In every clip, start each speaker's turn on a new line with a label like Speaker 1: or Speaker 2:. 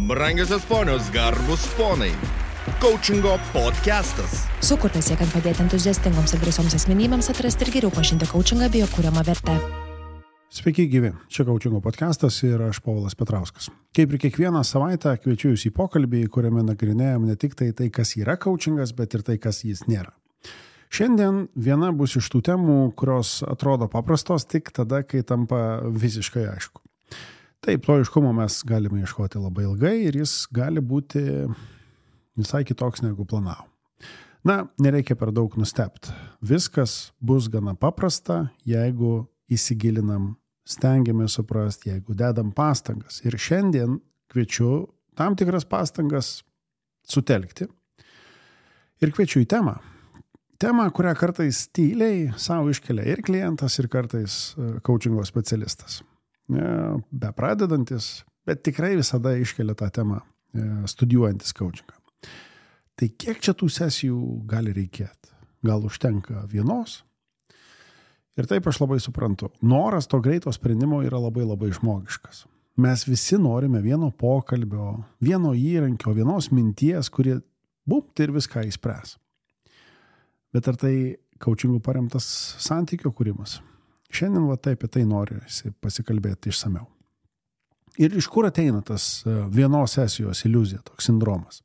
Speaker 1: Brangiosios ponios, garbus ponai. Coachingo podcastas.
Speaker 2: Sukurtas siekiant padėti entuziastingoms ir drąsioms asmenybėms atrasti ir geriau pažinti coachingą bei jo kuriamą vertę.
Speaker 3: Sveiki gyvi, čia Coachingo podcastas ir aš Povilas Petrauskas. Kaip ir kiekvieną savaitę kviečiu jūs į pokalbį, kuriame nagrinėjam ne tik tai, kas yra coachingas, bet ir tai, kas jis nėra. Šiandien viena bus iš tų temų, kurios atrodo paprastos tik tada, kai tampa visiškai aišku. Taip, to aiškumo mes galime ieškoti labai ilgai ir jis gali būti visai kitoks negu planavo. Na, nereikia per daug nustebti. Viskas bus gana paprasta, jeigu įsigilinam, stengiamės suprasti, jeigu dedam pastangas. Ir šiandien kviečiu tam tikras pastangas sutelkti ir kviečiu į temą. Temą, kurią kartais tyliai savo iškelia ir klientas, ir kartais coachingo specialistas. Be pradedantis, bet tikrai visada iškelia tą temą studijuojantis coachingą. Tai kiek čia tų sesijų gali reikėti? Gal užtenka vienos? Ir taip aš labai suprantu. Noras to greito sprendimo yra labai žmogiškas. Mes visi norime vieno pokalbio, vieno įrankio, vienos minties, kuri bumt ir viską įspręs. Bet ar tai coachingų paremtas santykio kūrimas? Šiandien taip apie tai noriu pasikalbėti išsamiau. Ir iš kur ateina tas vienos sesijos iliuzija, toks sindromas?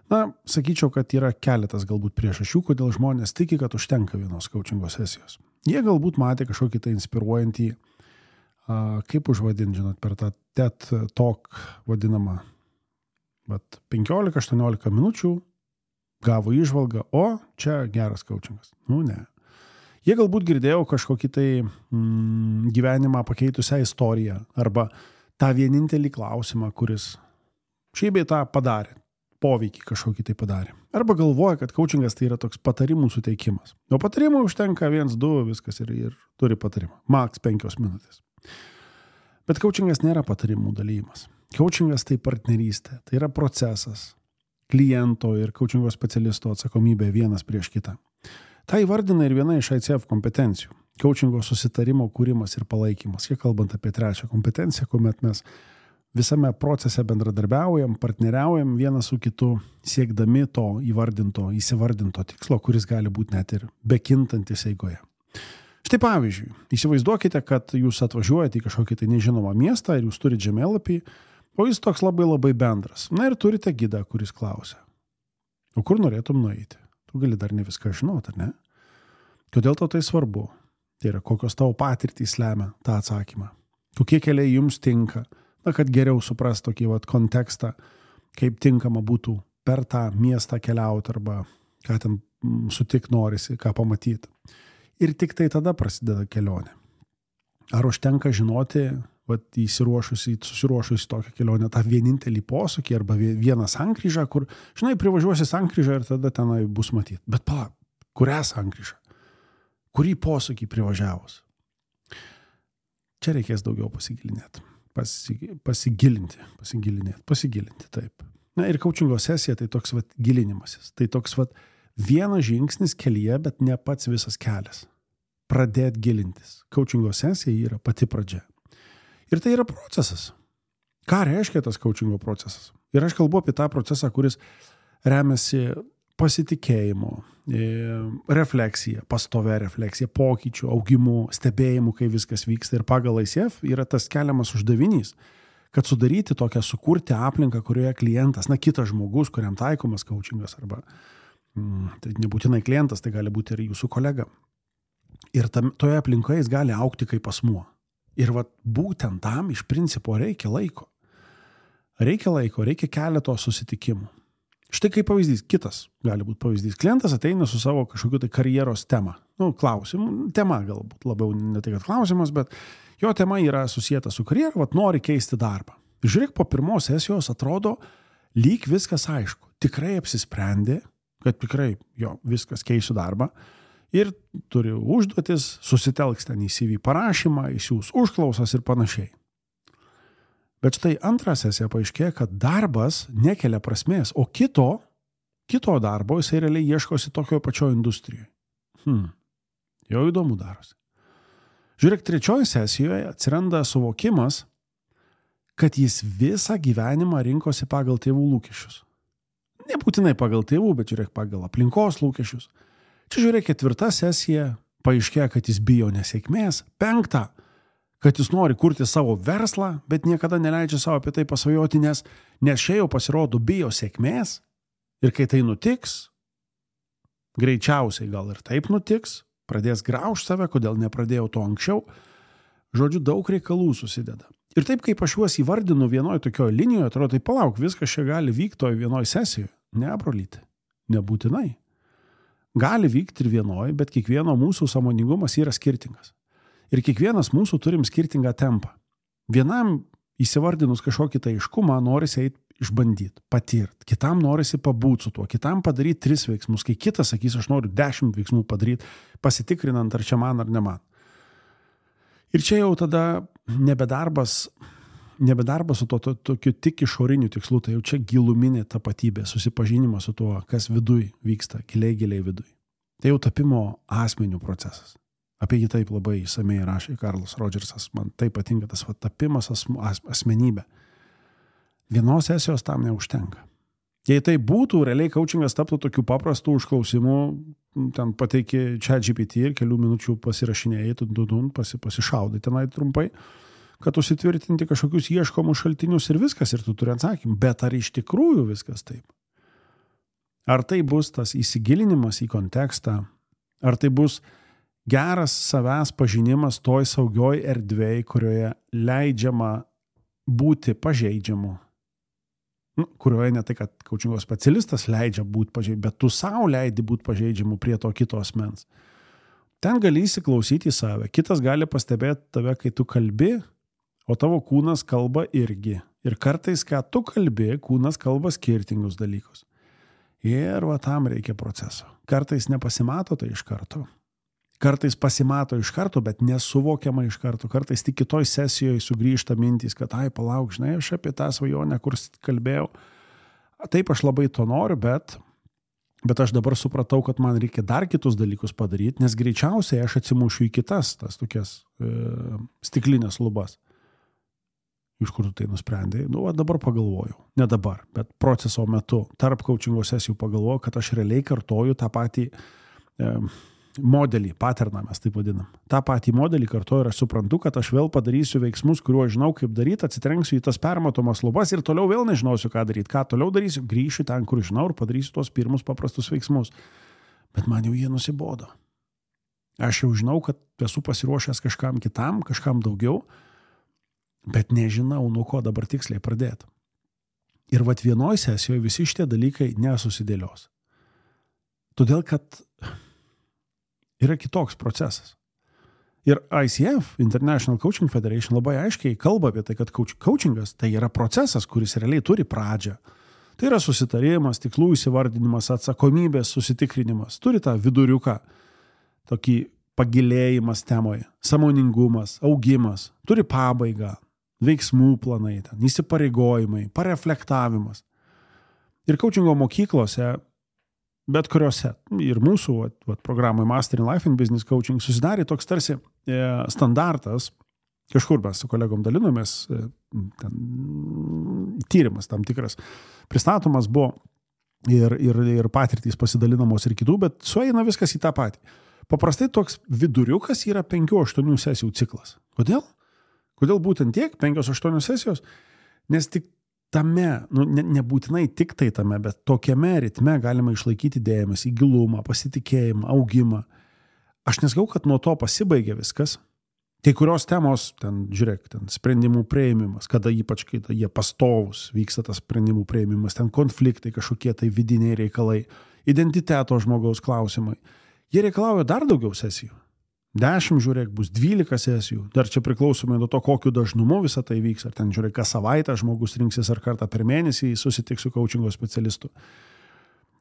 Speaker 3: Na, sakyčiau, kad yra keletas galbūt priežasčių, kodėl žmonės tiki, kad užtenka vienos coachingo sesijos. Jie galbūt matė kažkokį tai inspiruojantį, kaip užvadinti, per tą TED Talk vadinamą, 15-18 minučių gavo įžvalgą, o čia geras coachingas. Ne. Jie galbūt girdėjo kažkokį tai gyvenimą pakeitusią istoriją arba tą vienintelį klausimą, kuris šiaip bei tą padarė, poveikį kažkokį tai padarė. Arba galvoja, kad coachingas tai yra toks patarimų suteikimas. O patarimų užtenka 1-2, viskas ir turi patarimą. Max 5 minutės. Bet coachingas nėra patarimų dalymas. Coachingas tai partnerystė, tai yra procesas. Kliento ir coachingo specialisto atsakomybė vienas prieš kitą. Tai įvardina ir viena iš ICF kompetencijų. Coachingo susitarimo kūrimas ir palaikymas. Kiek kalbant apie trečią kompetenciją, kuomet mes visame procese bendradarbiaujam, partneriaujam vienas su kitu, siekdami to įsivardinto tikslo, kuris gali būti net ir bekintantis eigoje. Štai pavyzdžiui, įsivaizduokite, kad jūs atvažiuojate į kažkokį tai nežinomą miestą ir jūs turite žemėlapį, o jis toks labai bendras. Na ir turite gidą, kuris klausia, o kur norėtum nueiti? Tu gali dar ne viską žinoti, ar ne? Kodėl tau tai svarbu? Tai yra, kokios tavo patirtys lemia tą atsakymą. Kokie keliai jums tinka? Na, kad geriau suprast tokį kontekstą, kaip tinkama būtų per tą miestą keliauti arba ką ten sutik norisi, ką pamatyti. Ir tik tai tada prasideda kelionė. Ar užtenka žinoti, susiruošusi tokią kelionę, tą vienintelį posūkį arba vieną sankryžą, kur, privažiuosi sankryžą ir tada tenai bus matyti. Bet kurią sankryžą? Kurį posūkį privažiavus? Čia reikės daugiau pasigilinėti. Pasigilinti, taip. Na ir coachingo sesija tai toks gilinimasis. Tai toks vienas žingsnis kelyje, bet ne pats visas kelias. Pradėti gilintis. Coachingo sesija yra pati pradžia. Ir tai yra procesas. Ką reiškia tas coachingo procesas? Ir aš kalbu apie tą procesą, kuris remiasi pasitikėjimu, refleksija, pastovia refleksija, pokyčių, augimu, stebėjimu, kai viskas vyksta. Ir pagal ICF yra tas keliamas uždavinys, kad sukurti aplinką, kurioje klientas, kitas žmogus, kuriam taikomas coachingas, arba tai nebūtinai klientas, tai gali būti ir jūsų kolega. Ir toje aplinkoje jis gali augti kaip asmuo. Ir būtent tam iš principo reikia laiko. Reikia keleto susitikimų. Štai kaip pavyzdys, kitas gali būti pavyzdys. Klientas ateina su savo kažkokiu tai karjeros tema. Klausimų, tema galbūt labiau ne tai, kad klausimas, bet jo tema yra susijęta su karjera, nori keisti darbą. Žiūrėk, po pirmos sesijos atrodo, lyg viskas aišku. Tikrai apsisprendė, kad tikrai viskas keisiu darbą. Ir turi užduotis, susitelks ten į CV parašymą, įsiūs užklausas ir panašiai. Bet štai antrą sesiją paaiškėjo, kad darbas nekelia prasmės, o kito darbo jisai realiai ieškosi tokio pačio industrijoje. Jau įdomu darosi. Žiūrėk, trečioje sesijoje atsiranda suvokimas, kad jis visą gyvenimą rinkosi pagal tėvų lūkesčius. Nebūtinai pagal tėvų, bet žiūrėk pagal aplinkos lūkesčius. Čia žiūrėk 4 sesija, paaiškėja, kad jis bijo nesėkmės. 5, kad jis nori kurti savo verslą, bet niekada neleidžia savo apie tai pasvajoti, nes čia jau pasirodo bijo sėkmės. Ir kai tai nutiks, greičiausiai gal ir taip nutiks, pradės graužti save, kodėl nepradėjau to anksčiau. Žodžiu, daug reikalų susideda. Ir taip, kaip aš juos įvardinu vienoje tokioje linijoje, atrodo, tai palauk, viskas čia gali vykti toje vienoje sesijoje. Ne, brolyti, nebūtinai. Gali vykti ir vienoje, bet kiekvieno mūsų sąmoningumas yra skirtingas. Ir kiekvienas mūsų turim skirtingą tempą. Vienam įsivardinus kažkokį tai aiškumą norisi eiti išbandyti, patirti. Kitam norisi pabūti su tuo, kitam padaryti 3 veiksmus, kai kitas sakys, aš noriu 10 veiksmų padaryti, pasitikrinant, ar čia man ar ne man. Ir čia jau tada nebedarbas su tokiu tik išoriniu tikslu, tai jau čia giluminė tapatybė, susipažinimas su tuo, kas viduj vyksta, giliai viduj. Tai jau tapimo asmenių procesas. Apie jį taip labai įsamiai rašė Karlas Rodžersas, man taip patinka tas tapimas asmenybė. Vienos sesijos tam neužtenka. Jei tai būtų, realiai coachingas taptų tokių paprastų užklausimų, ten pateiki ChatGPT ir kelių minučių pasirašinėjai, pasišaudai tenai trumpai, kad užsitvirtinti kažkokius ieškomus šaltinius ir viskas, ir tu turi atsakymą. Bet ar iš tikrųjų viskas taip? Ar tai bus tas įsigilinimas į kontekstą? Ar tai bus geras savęs pažinimas toj saugioj erdvėj, kurioje leidžiama būti pažeidžiamu? Kurioje ne tai, kad coachingo specialistas leidžia būti pažeidžiamu, bet tu savo leidi būti pažeidžiamu prie to kito asmens. Ten gali įsiklausyti į save. Kitas gali pastebėti tave, kai tu kalbi, o tavo kūnas kalba irgi. Ir kartais, ką tu kalbi, kūnas kalba skirtingus dalykus. Ir tam reikia proceso. Kartais nepasimato tai iš karto. Kartais pasimato iš karto, bet nesuvokiama iš karto. Kartais tik kitoj sesijoje sugrįžta mintys, kad palauk, žinai, aš apie tą svajonę, kur kalbėjau. Taip, aš labai to noriu, bet aš dabar supratau, kad man reikia dar kitus dalykus padaryti, nes greičiausiai aš atsimušiu į kitas, tas tokias stiklinės lubas. Iš kur tu tai nusprendai? Dabar pagalvojau. Ne dabar, bet proceso metu, tarp coachingo sesijų pagalvojau, kad aš realiai kartoju tą patį modelį, paterną mes taip vadinam. Ta patį modelį kartuoju ir aš suprantu, kad aš vėl padarysiu veiksmus, kuriuo žinau, kaip daryti, atsitrenksiu į tas permatomas lubas ir toliau vėl nežinosiu, ką daryti. Ką toliau darysiu, grįšiu ten, kur žinau ir padarysiu tos pirmus paprastus veiksmus. Bet man jau jie nusibodo. Aš jau žinau, kad esu pasiruošęs kažkam kitam, kažkam daugiau, bet nežinau, nuo ko dabar tiksliai pradėti. Ir vienoj sesijoje visi šitie dalykai nesusidėlios. Todėl, kad yra kitoks procesas. Ir ICF, International Coaching Federation, labai aiškiai kalba apie tai, kad coachingas tai yra procesas, kuris realiai turi pradžią. Tai yra susitarimas, tikslų įsivardinimas, atsakomybės susitikrinimas. Turi tą viduriuką, tokį pagilėjimas temoje, sąmoningumas, augimas. Turi pabaigą, veiksmų planai, įsipareigojimai, pareflektavimas. Ir coachingo mokyklose, bet kuriuose, ir mūsų programoje Master in Life and Business Coaching susidarė toks tarsi standartas, kažkur mes su kolegom dalinomės, tyrimas tam tikras pristatomas buvo ir patirtys pasidalinamos ir kitų, bet sueina viskas į tą patį. Paprastai toks viduriukas yra 5-8 sesijų ciklas. Kodėl? Kodėl būtent tiek 5-8 sesijos? Nes tik tame, nebūtinai tik tai tame, bet tokiame ritme galima išlaikyti dėmesį, gilumą, pasitikėjimą, augimą. Aš nesakau, kad nuo to pasibaigia viskas. Kai kurios temos, žiūrėk, sprendimų priėmimas, ypač kai jie pastovus vyksta tas sprendimų priėmimas, konfliktai, kažkokie tai vidiniai reikalai, identiteto žmogaus klausimai. Jie reikalauja dar daugiau sesijų. 10, žiūrėk, bus 12 sesijų. Dar čia priklausomai nuo to, kokiu dažnumu visą tai vyks. Ar ten, žiūrėk, kas savaitę žmogus rinksis ar kartą per mėnesį susitiks su coachingo specialistu.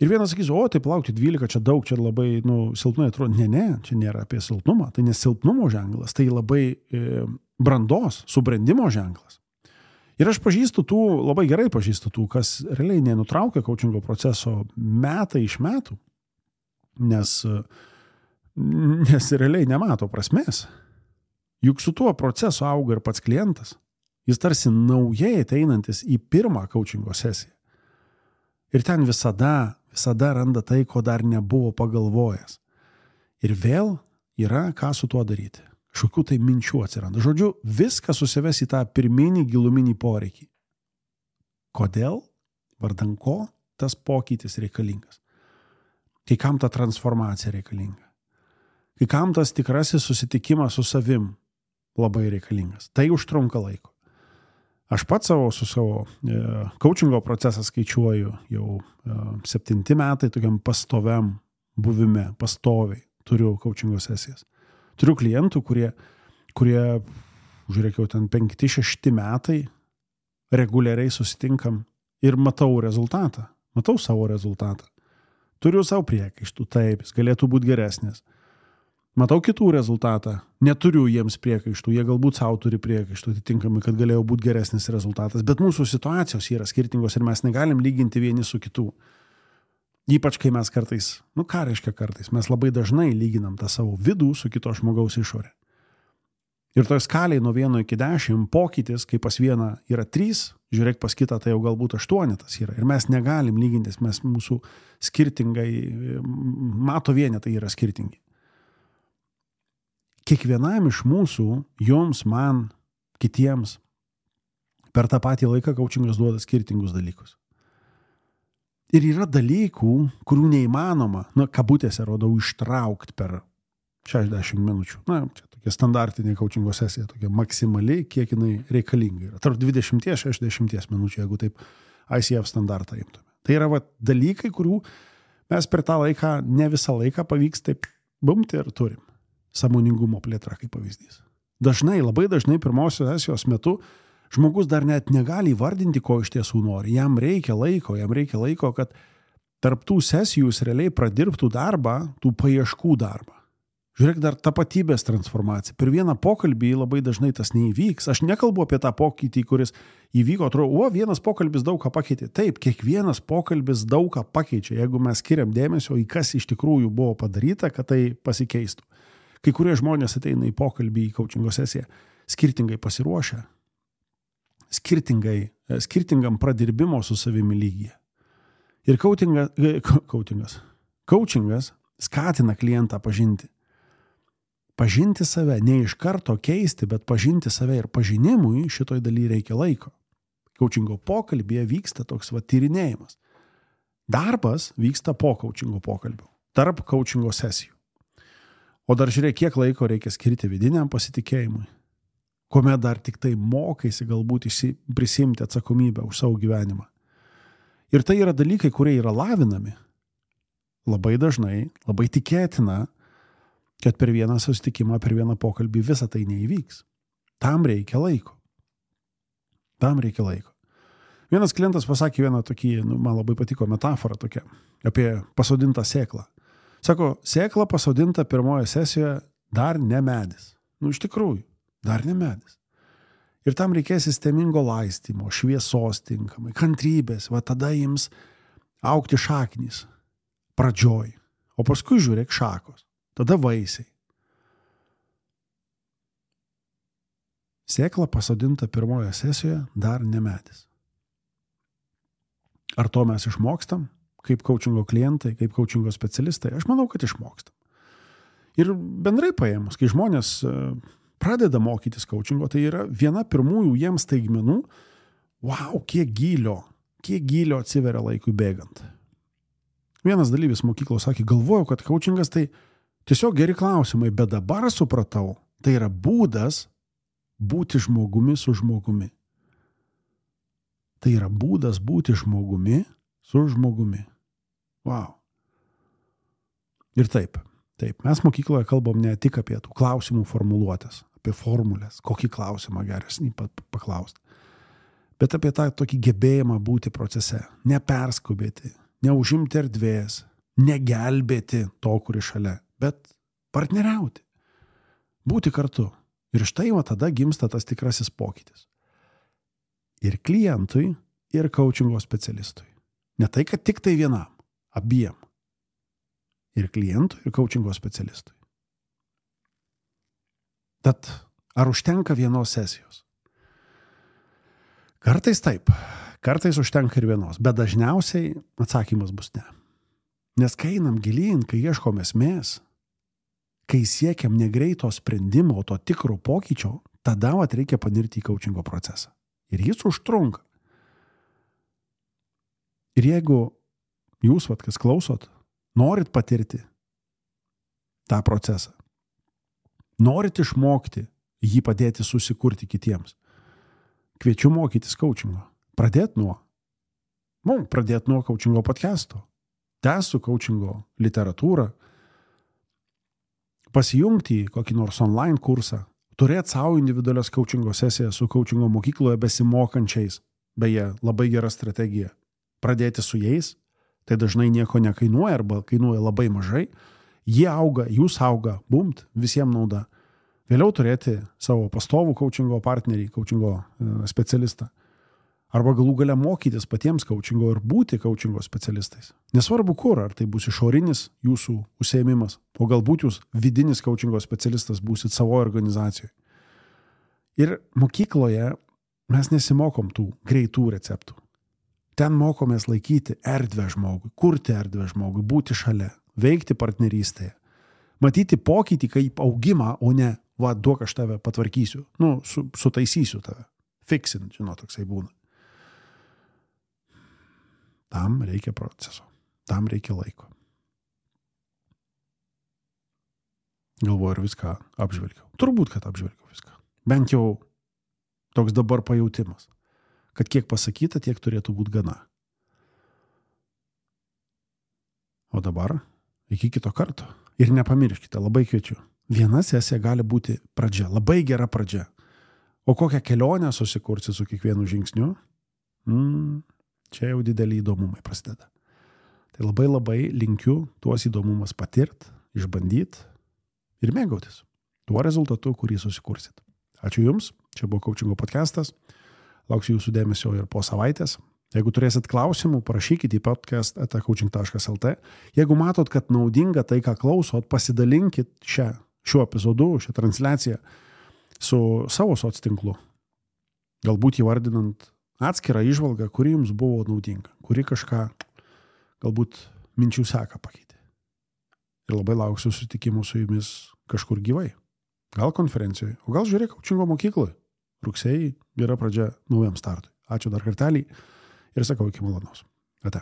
Speaker 3: Ir vienas sakys, taip laukti 12, čia daug, čia labai silpnai atrodo. Ne, čia nėra apie silpnumą. Tai ne silpnumo ženklas, tai labai brandos, subrendimo ženklas. Ir aš labai gerai pažįstu tų, kas realiai nenutraukia coachingo proceso metai iš metų, nes realiai nemato prasmės. Juk su tuo procesu auga ir pats klientas. Jis tarsi naujai ateinantis į pirmą coachingo sesiją. Ir ten visada randa tai, ko dar nebuvo pagalvojęs. Ir vėl yra ką su tuo daryti. Kažkokių tai minčių atsiranda. Žodžiu, viskas susives į tą pirminį giluminį poreikį. Kodėl, vardan ko tas pokytis reikalingas? Kai kam ta transformacija reikalinga? Kai kam tas tikrasis susitikimas su savim labai reikalingas? Tai užtrunka laiko. Aš pats su savo coachingo procesą skaičiuoju jau 7 metai tokiam pastoviam buvime, pastoviai turiu coachingo sesijas. Turiu klientų, kurie žiūrėkiau, ten 5-6 metai reguliariai susitinkam ir matau rezultatą. Matau savo rezultatą. Turiu savo priekaištų, taip, jis galėtų būti geresnis. Matau kitų rezultatą. Neturiu jiems priekaištų, jie galbūt savo turi priekaištų, atitinkamai, kad galėjo būti geresnis rezultatas. Bet mūsų situacijos yra skirtingos ir mes negalim lyginti vieni su kitų. Ypač kai mes kartais, ką reiškia kartais, mes labai dažnai lyginam tą savo vidų su kito žmogaus išorė. Ir toj skaliai nuo 1 iki 10 pokytis, kai pas vieną yra 3, žiūrėk pas kitą, tai jau galbūt 8 yra. Ir mes negalim lygintis, mes mūsų skirtingai, mato vienetai yra skirtingi. Kiekvienam iš mūsų, jums, man, kitiems, per tą patį laiką coachingas duoda skirtingus dalykus. Ir yra dalykų, kurių neįmanoma, kabutėse rodau, ištraukti per 60 minučių. Čia tokia standartinė coachingo sesija, tokia maksimali, kiek jinai reikalinga yra. Tarp 20-60 minučių, jeigu taip ICF standartą imtume. Tai yra dalykai, kurių mes per tą laiką, ne visą laiką pavyks taip bumti ir turim. Sąmoningumo plėtra kaip pavyzdys. Labai dažnai pirmosios sesijos metu žmogus dar net negali įvardinti, ko iš tiesų nori. Jam reikia laiko, kad tarp tų sesijų jis realiai pradirbtų darbą, tų paieškų darbą. Žiūrėk, dar tapatybės transformacija. Per vieną pokalbį labai dažnai tas neįvyks. Aš nekalbu apie tą pokytį, kuris įvyko, atrodo, vienas pokalbis daug ką pakeitė. Taip, kiekvienas pokalbis daug ką pakeičia, jeigu mes skiriam dėmesio į kas iš tikrųjų buvo padaryta, kad tai pasikeistų. Kai kurie žmonės ateina į pokalbį, į coachingo sesiją, skirtingai pasiruošę, skirtingam pradirbimo su savimi lygyje. Ir coachingas skatina klientą pažinti. Pažinti save, ne iš karto keisti, bet pažinti save ir pažinimui šitoj daly reikia laiko. Coachingo pokalbėje vyksta toks tyrinėjimas. Darbas vyksta po coachingo pokalbių, tarp coachingo sesijų. O dar žiūrėk, kiek laiko reikia skirti vidiniam pasitikėjimui, kuomet dar tik tai mokaisi galbūt prisimti atsakomybę už savo gyvenimą. Ir tai yra dalykai, kurie yra lavinami. Labai dažnai, labai tikėtina, kad per vieną susitikimą, per vieną pokalbį visą tai neįvyks. Tam reikia laiko. Vienas klientas pasakė vieną tokį, man labai patiko metaforą tokia, apie pasodintą sėklą. Sako, sėkla pasodinta pirmoje sesijoje dar ne medis. Iš tikrųjų, dar ne medis. Ir tam reikės sistemingo laistymo, šviesos tinkamai, kantrybės, tada jums augti šaknys pradžioj. O paskui žiūrėk šakos, tada vaisiai. Sėkla pasodinta pirmoje sesijoje dar ne medis. Ar to mes išmokstam? Kaip coachingo klientai, kaip coachingo specialistai, aš manau, kad išmokstam. Ir bendrai paėmus, kai žmonės pradeda mokytis coachingo, tai yra viena pirmųjų jiems staigmenų, kiek gylio atsiveria laikui bėgant. Vienas dalyvis mokyklos sakė, galvojau, kad coachingas tai tiesiog geri klausimai, bet dabar supratau, tai yra būdas būti žmogumi su žmogumi. Tai yra būdas būti žmogumi su žmogumi. Ir taip, mes mokykloje kalbam ne tik apie tų klausimų formuluotės, apie formulės, kokį klausimą geresnį paklausti, bet apie tą tokį gebėjimą būti procese, neperskubėti, neužimti erdvės, negelbėti to, kuris šalia, bet partneriauti, būti kartu. Ir štai tada gimsta tas tikrasis pokytis. Ir klientui, ir coachingo specialistui. Ne tai, kad tik tai vienam, abiem. Ir klientui, ir coachingo specialistui. Tad ar užtenka vienos sesijos? Kartais taip, kartais užtenka ir vienos, bet dažniausiai atsakymas bus ne. Nes kai einam gilyn, kai ieškom esmės, kai siekiam negreito sprendimo, to tikro pokyčio, tada reikia panirti į coachingo procesą. Ir jis užtrunka. Ir jeigu jūs, kas klausot, norit patirti tą procesą, norit išmokti jį padėti susikurti kitiems, kviečiu mokytis coachingo. Pradėt nuo coachingo podcast'o. Tęsiu coachingo literatūrą, pasijungti į kokį nors online kursą, turėti savo individualias coachingo sesijas su coachingo mokykloje besimokančiais, beje, labai gera strategija. Pradėti su jais, tai dažnai nieko nekainuoja arba kainuoja labai mažai, jie auga, jūs auga, bumt, visiems nauda. Vėliau turėti savo pastovų coachingo partnerį, coachingo specialistą. Arba galų gale mokytis patiems coachingo ir būti coachingo specialistais. Nesvarbu kur, ar tai bus išorinis jūsų užsiėmimas, o galbūt jūs vidinis coachingo specialistas būsit savo organizacijoje. Ir mokykloje mes nesimokom tų greitų receptų. Ten mokomės laikyti erdvę žmogui, kurti erdvę žmogui, būti šalia, veikti partnerystėje, matyti pokytį kaip augimą, o ne, duok aš tave patvarkysiu, sutaisysiu tave, fixint, toksai būna. Tam reikia proceso, tam reikia laiko. Galvoju, ir viską apžvelgiau. Turbūt, kad apžvelgiau viską. Bent jau toks dabar pajautimas, kad kiek pasakyta, tiek turėtų būti gana. O dabar iki kito karto. Ir nepamirškite, labai kviečiu. Viena sesija gali būti pradžia, labai gera pradžia. O kokią kelionę susikursi su kiekvienu žingsniu? Čia jau dideli įdomumai prasideda. Tai labai linkiu tuos įdomumas patirt, išbandyt ir mėgautis tuo rezultatu, kurį susikursit. Ačiū Jums, čia buvo coachingo podcastas. Lauksiu Jūsų dėmesio ir po savaitės. Jeigu turėsit klausimų, parašykite į podcast@coaching.lt. Jeigu matot, kad naudinga tai, ką klausot, pasidalinkit šiuo epizodu, šią transliaciją su savo soctinklu. Galbūt įvardinant atskirą įžvalgą, kuri jums buvo naudinga, kuri kažką galbūt minčių seką pakeitė. Ir labai lauksiu susitikimų su jumis kažkur gyvai. Gal konferencijoje, o gal žiūrėk coachingo mokykloje. Rugsėjai gera pradžia naujam startui. Ačiū dar kartelį ir sakau iki malonaus. Ate.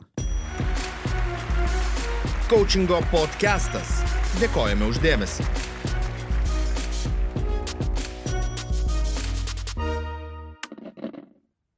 Speaker 1: Coachingo podcastas. Dėkojame už dėmesį.